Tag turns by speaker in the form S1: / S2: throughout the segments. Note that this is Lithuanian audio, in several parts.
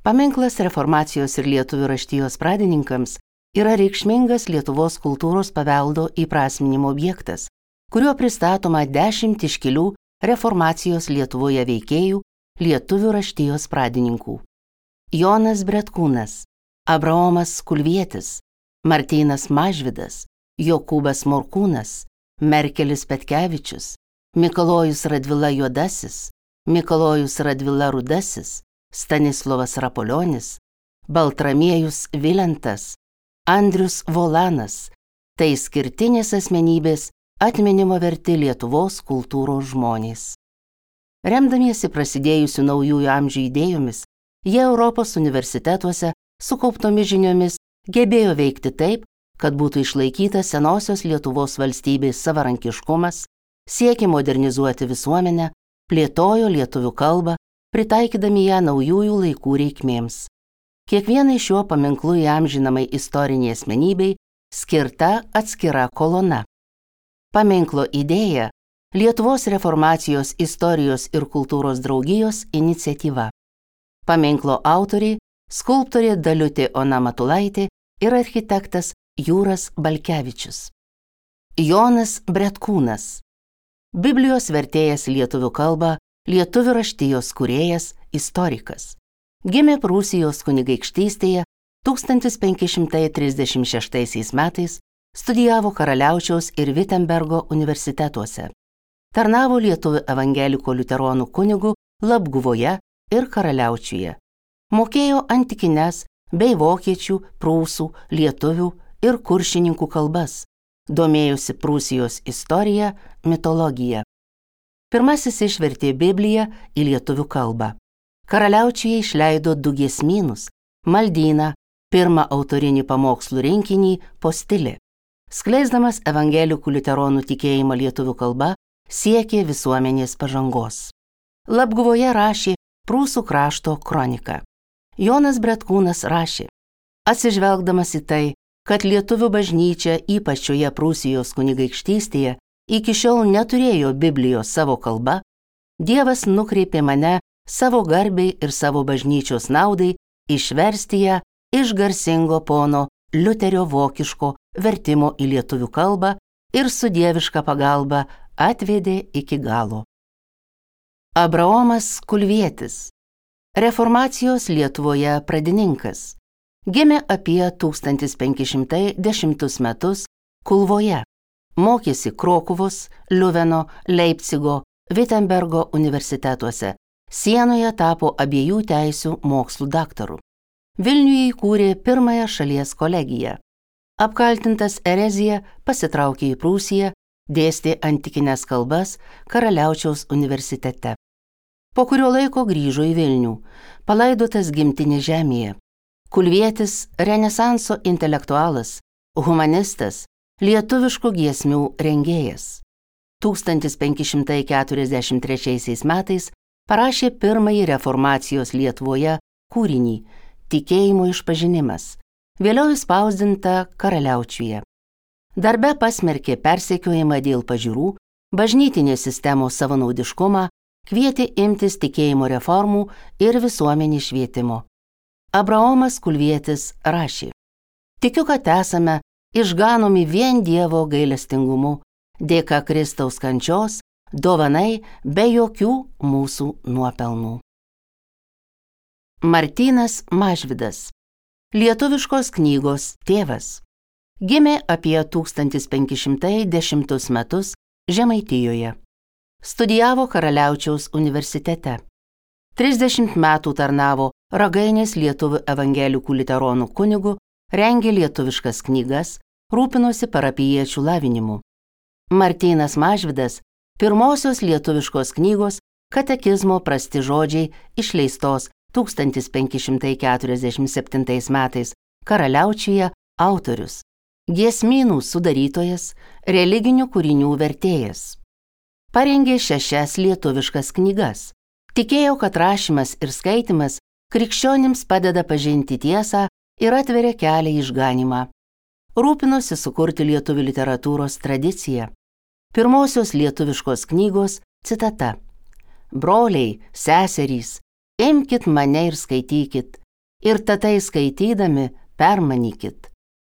S1: Paminklas Reformacijos ir lietuvių raštijos pradininkams yra reikšmingas Lietuvos kultūros paveldo įprasminimo objektas, kuriuo pristatoma 10 iškilių Reformacijos Lietuvoje veikėjų lietuvių raštijos pradininkų. Jonas Bretkūnas, Abraomas Kulvietis, Martynas Mažvydas, Jokūbas Morkūnas, Merkelis Petkevičius, Mikalojus Radvila Juodasis, Mikalojus Radvila Rudasis, Stanislovas Rapolionis, Baltramiejus Vilentas, Andrius Volanas – tai skirtinės asmenybės atminimo verti Lietuvos kultūros žmonės. Remdamiesi prasidėjusių naujųjų amžių idėjomis, jie Europos universitetuose sukauptomis žiniomis gebėjo veikti taip, kad būtų išlaikytas senosios Lietuvos valstybės savarankiškumas, siekė modernizuoti visuomenę, plėtojo lietuvių kalbą, pritaikydami ją naujųjų laikų reikmėms. Kiekvienai šiuo paminklu įamžinamai istoriniai asmenybei skirta atskira kolona. Paminklo idėja – Lietuvos Reformacijos istorijos ir kultūros draugijos iniciatyva. Paminklo autoriai – skulptorė Daliutė Ona Matulaitė ir architektas Jūras Balkevičius. Jonas Bretkūnas – Biblijos vertėjas lietuvių kalbą, lietuvių raštijos kūrėjas, istorikas. Gimė Prūsijos kunigaikštystėje 1536 metais, studijavo Karaliaučiaus ir Vitembergo universitetuose. Tarnavo lietuvių evangelikų liuteronų kunigų Labguvoje ir Karaliaučiuje. Mokėjo antikines bei vokiečių, prūsų, lietuvių ir kuršininkų kalbas. Domėjosi Prūsijos istorija, mitologija. Pirmasis išvertė Bibliją į lietuvių kalbą. Karaliaučiuje išleido 2 giesmynus, maldyną, pirmą autorinį pamokslų rinkinį Postilė. Skleisdamas evangelikų liuteronų tikėjimą lietuvių kalba, siekė visuomenės pažangos. Labguvoje rašė Prūsų krašto kroniką. Jonas Bretkūnas rašė: atsižvelgdamas į tai, kad lietuvių bažnyčia ypač šioje Prūsijos kunigaikštystėje iki šiol neturėjo Biblijos savo kalba, Dievas nukreipė mane savo garbei ir savo bažnyčios naudai išversti ją iš garsingo pono Liuterio vokiško vertimo į lietuvių kalbą ir su dieviška pagalba atvedė iki galo. Abraomas Kulvietis, Reformacijos Lietuvoje pradininkas, gimė apie 1510 metus Kulvoje, mokėsi Krokuvos, Liuveno, Leipcigo, Vitembergo universitetuose, sienoje tapo abiejų teisių mokslų daktaru. Vilniuje įkūrė pirmąją šalies kolegiją. Apkaltintas erezija pasitraukė į Prūsiją, dėstė antikines kalbas Karaliaučiaus universitete. Po kurio laiko grįžo į Vilnių, palaidotas gimtinės žemėje. Kulvietis – renesanso intelektualas, humanistas, lietuviškų giesmių rengėjas. 1543 metais parašė pirmąjį Reformacijos Lietuvoje kūrinį Tikėjimo išpažinimas, vėliau išspausdinta Karaliaučiuje. Darbe pasmerkė persekiojimą dėl pažiūrų, bažnytinės sistemos savanaudiškumą, kvietė imtis tikėjimo reformų ir visuomenės švietimo. Abraomas Kulvietis rašė: tikiu, kad esame išganomi vien Dievo gailestingumu, dėka Kristaus kančios, dovanai be jokių mūsų nuopelnų. Martynas Mažvydas, lietuviškos knygos tėvas. Gimė apie 1510 metus Žemaitijoje. Studijavo Karaliaučiaus universitete. 30 metų tarnavo Ragainės lietuvių evangelikų liuteronų kunigu, rengė lietuviškas knygas, rūpinosi parapijiečių lavinimu. Martynas Mažvydas pirmosios lietuviškos knygos Katekizmo prasti žodžiai išleistos 1547 metais Karaliaučiuje autorius, giesmynų sudarytojas, religinių kūrinių vertėjas. Parengė 6 lietuviškas knygas. Tikėjo, kad rašymas ir skaitimas krikščionims padeda pažinti tiesą ir atveria kelią į išganymą. Rūpinosi sukurti lietuvių literatūros tradiciją. Pirmosios lietuviškos knygos citata: broliai, seserys, imkit mane ir skaitykit, Ir tatai skaitydami permanykit.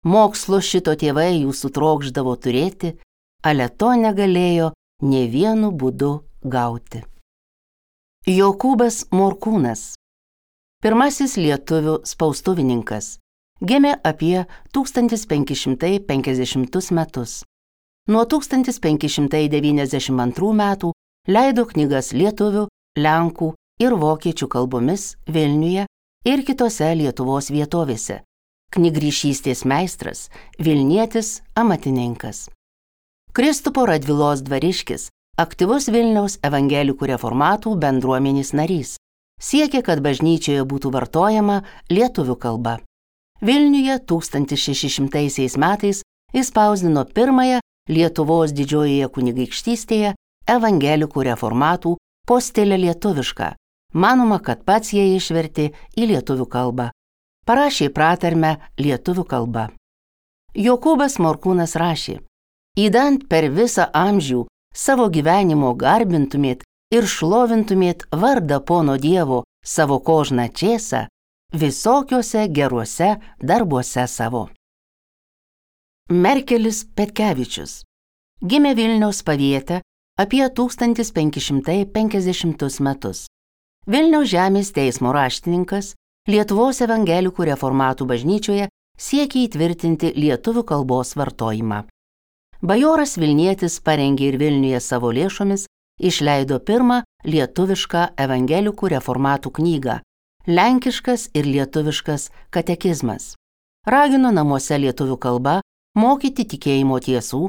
S1: Mokslo šito tėvai jūsų trokšdavo turėti, ale to negalėjo nė vienu būdu gauti. Jokūbas Morkūnas, pirmasis lietuvių spaustuvininkas, gimė apie 1550 metus. Nuo 1592 metų leido knygas lietuvių, lenkų ir vokiečių kalbomis Vilniuje ir kitose Lietuvos vietovėse. Knygryšystės meistras, Vilnietis amatininkas. Kristupo Radvilos dvariškis, aktyvus Vilniaus evangelikų reformatų bendruomenės narys, siekė, kad bažnyčioje būtų vartojama lietuvių kalba. Vilniuje 1600 metais įspausdino pirmąją Lietuvos didžiojoje kunigaikštystėje evangelikų reformatų postilę lietuvišką. Manoma, kad pats jie išvertė į lietuvių kalbą. Parašė pratarmę lietuvių kalba. Jokūbas Morkūnas rašė: Įdant per visą amžių savo gyvenimo garbintumėt ir šlovintumėt vardą pono Dievo savo kožną čėsą visokiuose geruose darbuose savo. Merkelis Petkevičius gimė Vilniaus Paviete apie 1550 metus. Vilniaus žemės teismo raštininkas, Lietuvos evangelikų reformatų bažnyčioje siekė įtvirtinti lietuvių kalbos vartojimą. Bajoras Vilnietis parengė ir Vilniuje savo lėšomis išleido pirmą lietuvišką evangelikų reformatų knygą Lenkiškas ir lietuviškas katekizmas. Ragino namuose lietuvių kalba mokyti tikėjimo tiesų,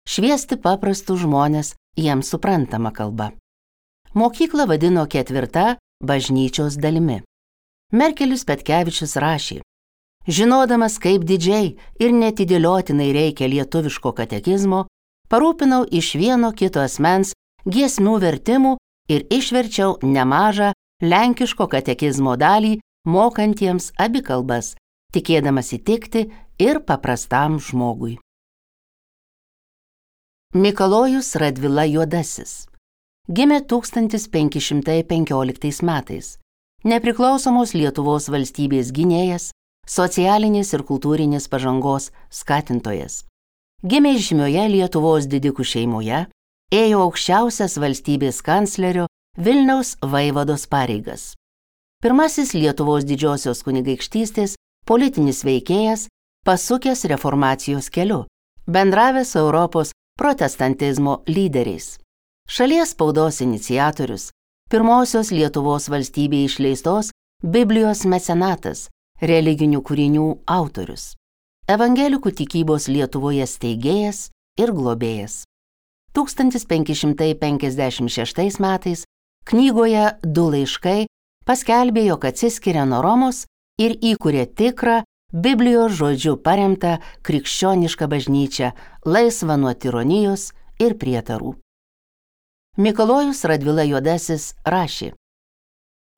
S1: šviesti paprastus žmones jiems suprantamą kalbą. Mokyklą vadino ketvirta bažnyčios dalimi. Merkelis Petkevičius rašė: Žinodamas, kaip didžiai ir netidėliotinai reikia lietuviško katekizmo, parūpinau iš vieno kito asmens giesmių vertimų ir išverčiau nemažą lenkiško katekizmo dalį mokantiems abi kalbas, tikėdamas įtikti ir paprastam žmogui. Mikalojus Radvila Juodasis gimė 1515 metais. Nepriklausomos Lietuvos valstybės gynėjas, socialinės ir kultūrinės pažangos skatintojas. Gimė žymioje Lietuvos didikų šeimoje, ėjo aukščiausias valstybės kanclerio Vilniaus vaivados pareigas. Pirmasis Lietuvos didžiosios kunigaikštystės politinis veikėjas, pasukęs reformacijos keliu, bendravęs su Europos protestantizmo lyderiais. Šalies spaudos iniciatorius, pirmosios Lietuvos valstybėje išleistos Biblijos mecenatas, religinių kūrinių autorius. Evangelikų tikybos Lietuvoje steigėjas ir globėjas. 1556 metais knygoje Du laiškai paskelbė, jog atsiskiria nuo Romos ir įkūrė tikrą Biblijos žodžiu paremtą krikščionišką bažnyčią, laisvą nuo tironijos ir prietarų. Mikalojus Radvila Juodasis rašė: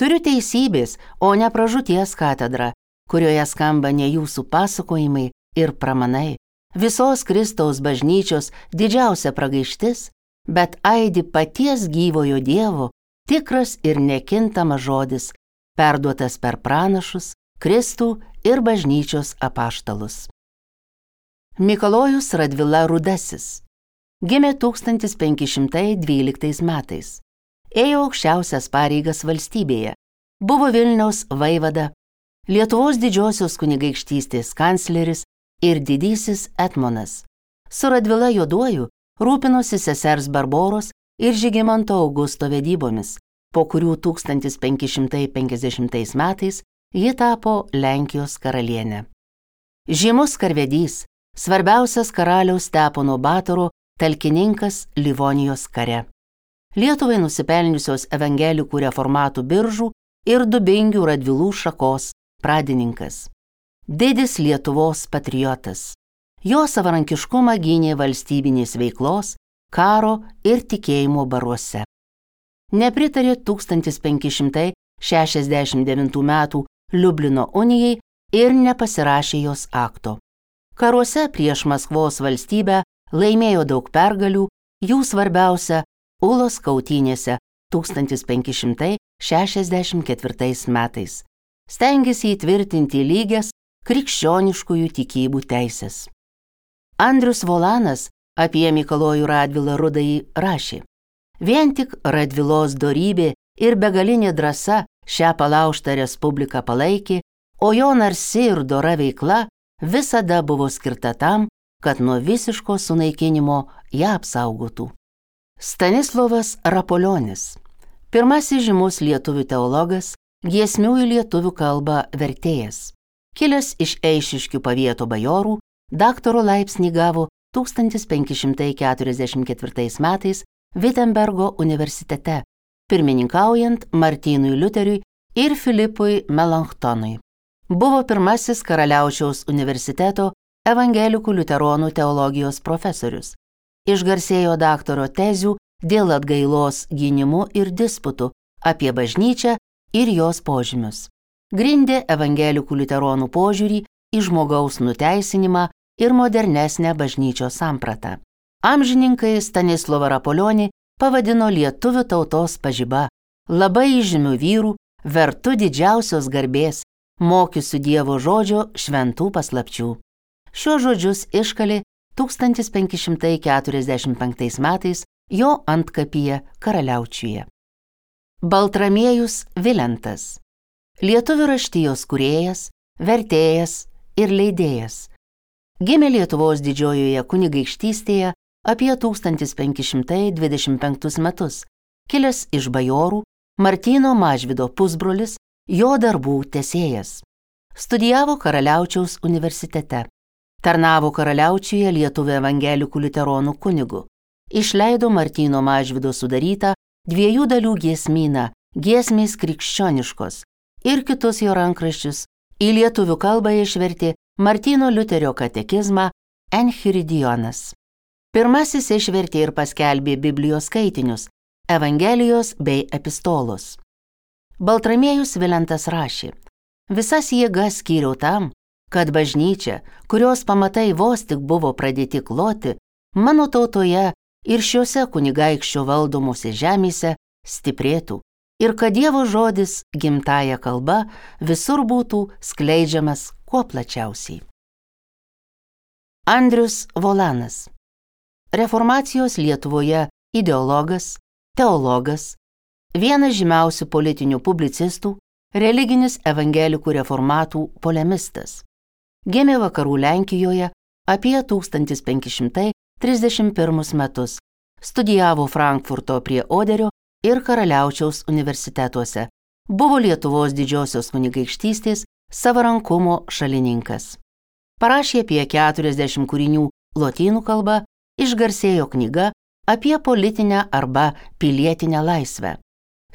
S1: Turiu teisybės, o ne pražūties katedrą, kurioje skamba ne jūsų pasakojimai ir pramanai, visos Kristaus bažnyčios didžiausia pragaištis, bet aidi paties gyvojo Dievo, tikras ir nekintamas žodis, perduotas per pranašus, Kristų ir bažnyčios apaštalus. Mikalojus Radvila Rudasis gimė 1512 metais. Ėjo aukščiausias pareigas valstybėje, buvo Vilniaus vaivada, Lietuvos didžiosios kunigaikštystės kancleris ir didysis etmonas. Su Radvila Juoduoju rūpinosi sesers Barboros ir Žygimanto Augusto vedybomis, po kurių 1550 metais ji tapo Lenkijos karalienė. Žymus karvedys, svarbiausias karaliaus Stepono Batoro talkininkas Livonijos kare. Lietuvai nusipelniusios evangelikų reformatų Biržų ir Dubingių Radvilų šakos pradininkas. Didis Lietuvos patriotas. Jo savarankiškumą gynė valstybinės veiklos, karo ir tikėjimo baruose. Nepritarė 1569 metų Liublino unijai ir nepasirašė jos akto. Karuose prieš Maskvos valstybę laimėjo daug pergalių, jų svarbiausia Ulos kautynėse 1564 metais. stengėsi įtvirtinti lygias krikščioniškųjų tikybų teisės. Andrius Volanas apie Mikalojų Radvilą Rudąjį rašė: vien tik Radvilos dorybė ir begalinė drąsa šią palaužtą respubliką palaikė, o jo narsi ir dora veikla visada buvo skirta tam, kad nuo visiško sunaikinimo ją apsaugotų. Stanislovas Rapolionis, pirmasis žymus lietuvių teologas, giesmių į lietuvių kalbą vertėjas. Kilęs iš Eišiškių pavieto bajorų, daktaro laipsnį gavo 1544 metais Vitembergo universitete, pirmininkaujant Martynui Liuteriui ir Filipui Melanchtonui. Buvo pirmasis Karaliaučiaus universiteto evangelikų liuteronų teologijos profesorius. Išgarsėjo daktaro tezių dėl atgailos gynimu ir disputų apie bažnyčią ir jos požymius. Grindė evangelikų liuteronų požiūrį į žmogaus nuteisinimą ir modernesnę bažnyčios sampratą. Amžininkai Stanislovą Rapolionį pavadino lietuvių tautos pažiba, labai įžymių vyrų, vertu didžiausios garbės, mokiusių Dievo žodžio šventų paslapčių. Šiuos žodžius iškalė 1545 metais jo antkapyje Karaliaučiuje. Baltramiejus Vilentas, lietuvių raštijos kūrėjas, vertėjas ir leidėjas. Gimė Lietuvos didžiojoje kunigaikštystėje apie 1525 metus, kilęs iš bajorų, Martyno Mažvydo pusbrolis, jo darbų tęsėjas. Studijavo Karaliaučiaus universitete. Tarnavo Karaliaučiuje lietuvių evangelikų liuteronų kunigu. Išleido Martyno Mažvydo sudarytą 2 dalių giesmyną Giesmės krikščioniškos ir kitus jo rankraščius. Į lietuvių kalbą išvertė Martyno Liuterio katekizmą Enchiridionas. Pirmasis išvertė ir paskelbė Biblijos skaitinius, Evangelijos bei epistolos. Baltramiejus Vilentas rašė: visas jėgas skyriau tam, kad bažnyčia, kurios pamatai vos tik buvo pradėti kloti, mano tautoje ir šiuose kunigaikščio valdomose žemėse stiprėtų ir kad Dievo žodis gimtąja kalba visur būtų skleidžiamas kuo plačiausiai. Andrius Volanas, reformacijos Lietuvoje ideologas, teologas, vienas žymiausių politinių publicistų, religinis evangelikų reformatų polemistas. Gimė vakarų Lenkijoje apie 1531 metus, studijavo Frankfurto prie Oderio ir Karaliaučiaus universitetuose, buvo Lietuvos didžiosios kunigaikštystės savarankumo šalininkas. Parašė apie 40 kūrinių lotynų kalba, išgarsėjo knyga apie politinę arba pilietinę laisvę.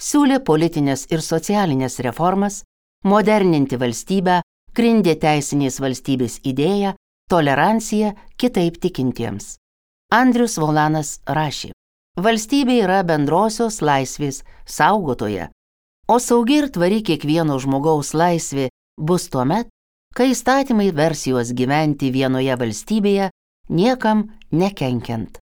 S1: Siūlė politinės ir socialinės reformas, moderninti valstybę, grindė teisinės valstybės idėją, toleranciją kitaip tikintiems. Andrius Volanas rašė: valstybė yra bendrosios laisvės saugotoja, o saugi ir tvari kiekvieno žmogaus laisvė bus tuomet, kai įstatymai vers juos gyventi vienoje valstybėje, niekam nekenkiant.